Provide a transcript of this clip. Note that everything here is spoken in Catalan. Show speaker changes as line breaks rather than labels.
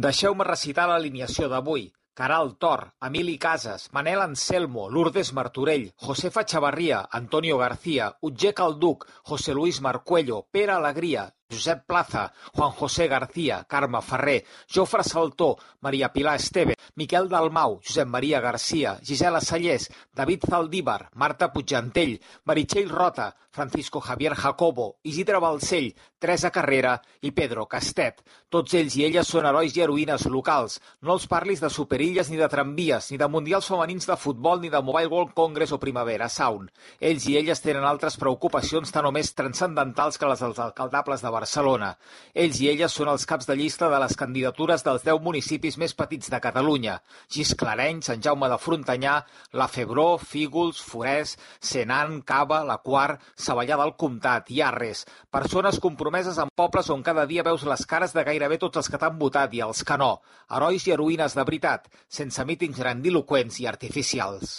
Deixeu-me recitar l'alineació d'avui. Caral Tor, Emili Casas, Manel Anselmo, Lourdes Martorell, Josefa Chavarria, Antonio García, Utger Calduc, José Luis Marcuello, Pere Alegria, Josep Plaza, Juan José García, Carme Ferrer, Jofre Saltó, Maria Pilar Esteve, Miquel Dalmau, Josep Maria García, Gisela Sallés, David Zaldívar, Marta Puigdentell, Meritxell Rota, Francisco Javier Jacobo, Isidre Balcell, Teresa Carrera i Pedro Castet. Tots ells i elles són herois i heroïnes locals. No els parlis de superilles ni de tramvies, ni de mundials femenins de futbol, ni de Mobile World Congress o Primavera Sound. Ells i elles tenen altres preocupacions tan o més transcendentals que les dels alcaldables de Barcelona. Ells i elles són els caps de llista de les candidatures dels 10 municipis més petits de Catalunya: Gisclareny, Sant Jaume de Frontanyà, La Febró, Fígols, Forès, Senan, Cava, La Quar, Savallà del Comtat i Arres. Persones compromeses amb pobles on cada dia veus les cares de gairebé tots els que t'han votat i els que no. Herois i heroïnes de veritat, sense mítings grandiloqüents i artificials.